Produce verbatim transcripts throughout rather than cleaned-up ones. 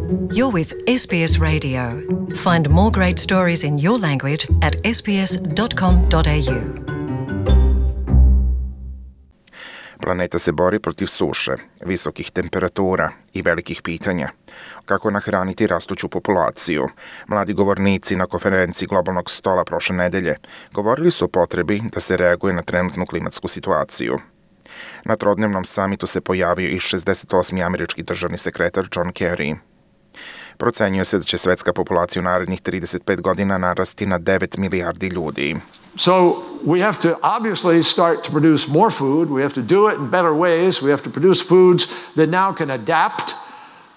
You're with S B S Radio. Find more great stories in your language at s b s dot com dot a u. Planeta se bori protiv suše, visokih temperatura i velikih pitanja. Kako nahraniti rastuću populaciju? Mladi govornici na konferenciji globalnog stola prošle nedelje govorili su o potrebi da se reaguje na trenutnu klimatsku situaciju. Na trodnevnom samitu se pojavio i šezdeset osmi američki državni sekretar John Kerry. Procenjuje se da će svetska populacija u narednih trideset pet godina narasti na devet milijardi ljudi. So we have to obviously start to produce more food. We have to do it in better ways. We have to produce foods that now can adapt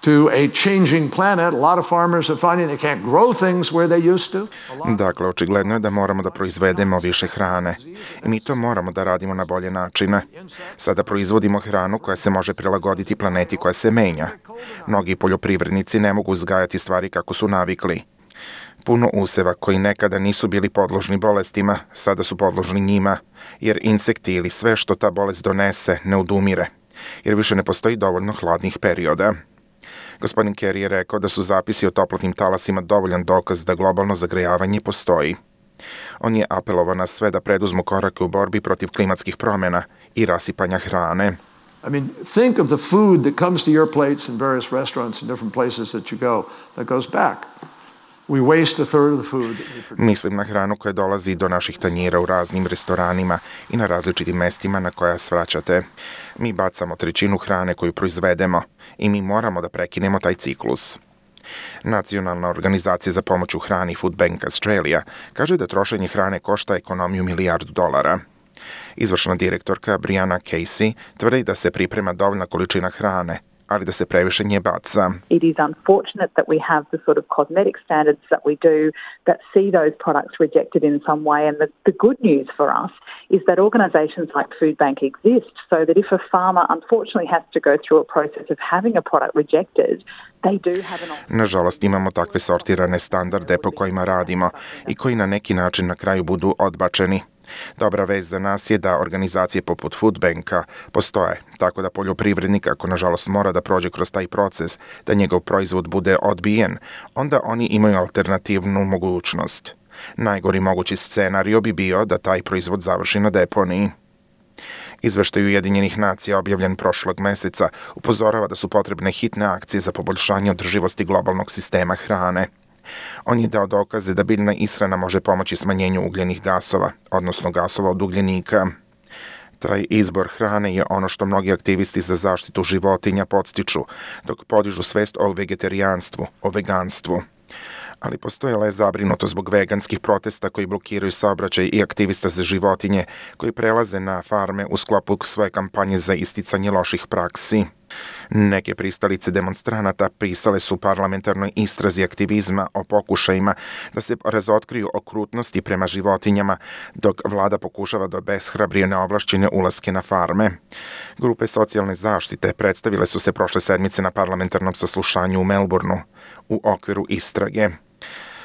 to a changing planet. A lot of farmers are finding they can't grow things where they used to. Dakle, očigledno je da moramo da proizvedemo više hrane. I mi to moramo da radimo na bolje načine. Sada proizvodimo hranu koja se može prilagoditi planeti koja se menja. Mnogi poljoprivrednici ne mogu uzgajati stvari kako su navikli. Puno useva koji nekada nisu bili podložni bolestima, sada su podložni njima, jer insekti ili sve što ta bolest donese ne odumire, jer više ne postoji dovoljno hladnih perioda. Gospodin Kerry je rekao da su zapisi o toplotnim talasima dovoljan dokaz da globalno zagrejavanje postoji. On je apelovao na sve da preduzmu korake u borbi protiv klimatskih promjena i rasipanja hrane. I mean, think of the food that comes to your plates in various restaurants and different places that you go that goes back. We waste a third of the food that we produce. Mislim na hranu koja dolazi do naših tanjira u raznim restoranima i na različitim mestima na koja svraćate. Mi bacamo trećinu hrane koju proizvedemo i mi moramo da prekinemo taj ciklus. Nacionalna organizacija za pomoć u hrani Food Bank Australia kaže da trošenje hrane košta ekonomiju milijardu dolara. Izvršna direktorka Brianna Casey tvrdi da se priprema dovoljna količina hrane, ali da se previše nje baca. It is unfortunate that we have the sort of cosmetic standards that we do that see those products rejected in some way. And the, the good news for us is that organisations like Food Bank exist so that if a farmer unfortunately has to go through a process of having a product rejected, they do have an option. Nažalost, imamo takve sortirane standarde po kojima radimo i koji na neki način na kraju budu odbačeni. Dobra vest za nas je da organizacije poput Food Banka postoje, tako da poljoprivrednik, ako nažalost mora da prođe kroz taj proces, da njegov proizvod bude odbijen, onda oni imaju alternativnu mogućnost. Najgori mogući scenario bi bio da taj proizvod završi na deponiji. Izveštaj Ujedinjenih nacija objavljen prošlog meseca upozorava da su potrebne hitne akcije za poboljšanje održivosti globalnog sistema hrane. On je dao dokaze da biljna ishrana može pomoći smanjenju ugljenih gasova, odnosno gasova od ugljenika. Taj izbor hrane je ono što mnogi aktivisti za zaštitu životinja podstiču, dok podižu svest o vegetarijanstvu, o veganstvu. Ali postojala je zabrinuto zbog veganskih protesta koji blokiraju saobraćaj i aktivista za životinje koji prelaze na farme u sklopu svoje kampanje za isticanje loših praksi. Neke pristalice demonstranata pisale su parlamentarnoj istrazi aktivizma o pokušajima da se razotkriju okrutnosti prema životinjama, dok vlada pokušava da obeshrabrije neovlašćene ulaske na farme. Grupe socijalne zaštite predstavile su se prošle sedmice na parlamentarnom saslušanju u Melbourneu u okviru istrage.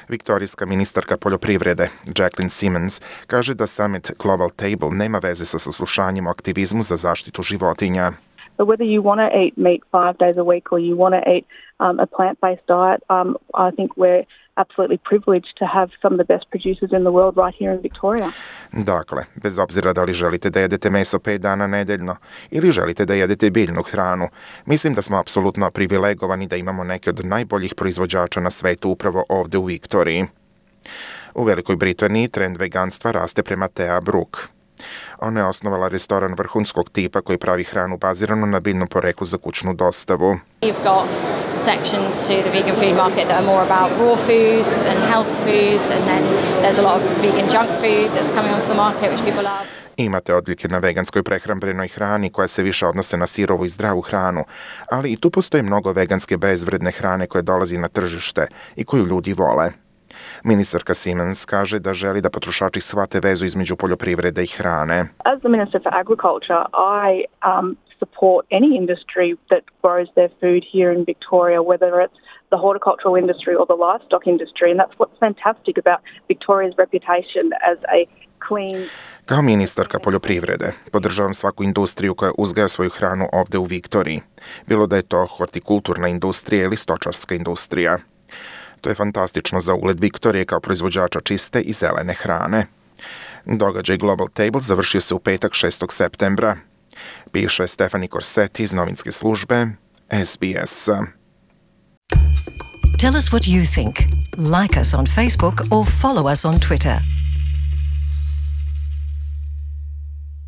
Viktorijska ministarka poljoprivrede Jacqueline Simmons kaže da Summit Global Table nema veze sa saslušanjem o aktivizmu za zaštitu životinja. But whether you want to eat meat five days a week or you want to eat um, a plant-based diet, um, I think we're absolutely privileged to have some of the best producers in the world right here in Victoria. Dakle, bez obzira da li želite da jedete meso pet dana nedeljno ili želite da jedete biljnu hranu, mislim da smo apsolutno privilegovani da imamo neke od najboljih proizvođača na svetu upravo ovde u Viktoriji. U Velikoj Britaniji trend veganstva raste prema Thea Brook. Ona je osnovala restoran vrhunskog tipa koji pravi hranu baziranu na biljnom poreklu za kućnu dostavu. You've got sections to the vegan food market that are more about raw foods and health foods, and then there's a lot of vegan junk food that's coming onto the market which people love. Imate odlike na veganskoj prehrambenoj hrani koja se više odnose na sirovu i zdravu hranu, ali i tu postoji mnogo veganske bezvredne hrane koje dolazi na tržište i koju ljudi vole. Ministarka Simmons kaže da želi da potrošači shvate vezu između poljoprivrede i hrane. As the Minister for Agriculture, I um, support any industry that grows their food here in Victoria, whether it's the horticultural industry or the livestock industry, and that's what's fantastic about Victoria's reputation as a clean. Kao ministarka poljoprivrede, podržavam svaku industriju koja uzgaja svoju hranu ovde u Viktoriji, bilo da je to hortikulturna industrija ili stočarska industrija. To je fantastično za ugled Viktorije kao proizvođača čiste i zelene hrane. Događaj Global Table završio se u petak šestog septembra. Piše Stefani Corsetti iz novinske službe S B S. Tell us what you think. Like us on Facebook or follow us on Twitter.